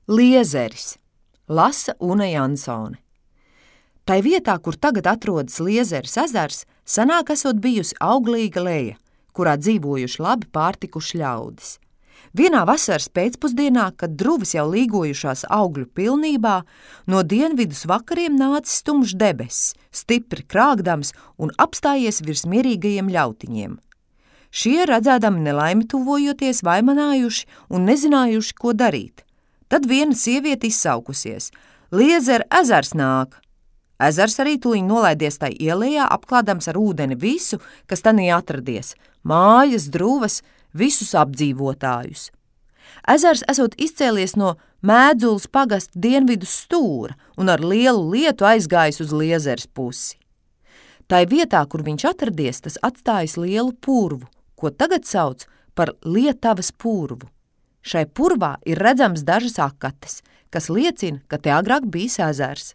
Liezeris, lasa Une Jansone. Tai vietā, kur tagad atrodas Liezeres ezers, senāk esot bijusi auglīga leja, kurā dzīvojuši labi pārtikuši ļaudis. Vienā vasaras pēcpusdienā, kad druvis jau līgojušās augļu pilnībā, no dienvidus vakariem nācis tumšs debesis, stipri krāgdams un apstājies virs mierīgajiem ļautiņiem. Šie, redzēdami nelaimi tuvojoties, vaimanājuši un nezinājuši, ko darīt. Tad viena sieviete izsaukusies: Liezera ezers nāk! Ezers arī tūliņ nolaidies tai ielējā, apklādams ar ūdeni visu, kas tanī atradies – mājas, druvas, visus apdzīvotājus. Ezers esot izcēlies no Mēdzules pagasta dienvidu stūra un ar lielu lietu aizgājis uz Liezeres pusi. Tai vietā, kur viņš atradies, tas atstājis lielu purvu, ko tagad sauc par Lietavas purvu. Šai purvā ir redzams dažas akates, kas liecina, ka te agrāk bijis ezers.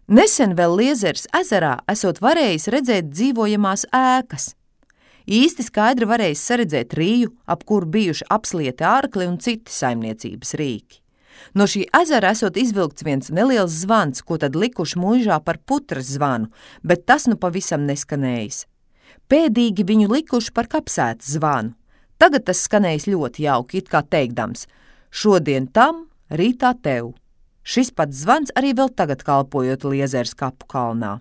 Nesen vēl Liezeres ezerā esot varējis redzēt dzīvojamās ēkas. Īsti skaidri varējis saredzēt rīju, ap kuru bijuši apslieti ārkli un citi saimniecības rīki. No šī ezera esot izvilkts viens neliels zvans, ko tad likuši muižā par putras zvanu, bet tas nu pavisam neskanējis. Pēdīgi viņu likuši par kapsētas zvanu. Tagad tas skanējis ļoti jauki, it kā teikdams: šodien tam, rītā tev. Šis pats zvans arī vēl tagad kalpojot Liezeres kapu kalnā.